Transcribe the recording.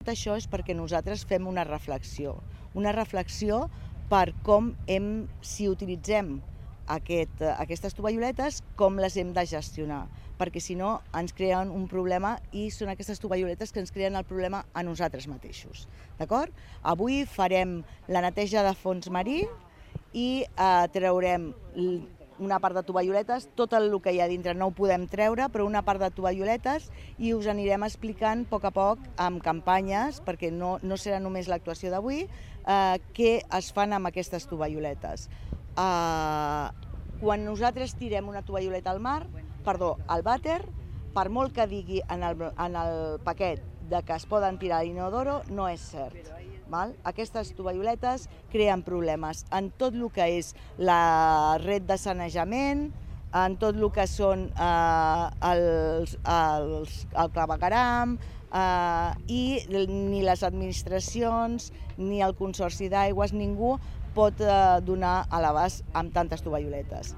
Tot això és perquè nosaltres fem una reflexió per com si utilitzem aquestes tovalloletes, com les hem de gestionar, perquè si no ens creen un problema i són aquestes tovalloletes que ens creen el problema a nosaltres mateixos. D'acord? Avui farem la neteja de fons marí i traurem una part de tovalloletes, tot el que hi ha dintre no ho podem treure, però una part de tovalloletes, i us anirem explicant a poc amb campanyes, perquè no serà només l'actuació d'avui, què es fan amb aquestes tovalloletes. Quan nosaltres tirem una tovalloleta al vàter, per molt que digui en el paquet que es poden tirar a l'inodoro, no és cert. Aquestes tovalloletes creen problemes en tot el que és la red de sanejament, en tot el que són el clavegueram, i ni les administracions ni el Consorci d'Aigües, ningú pot donar a l'abast amb tantes tovalloletes.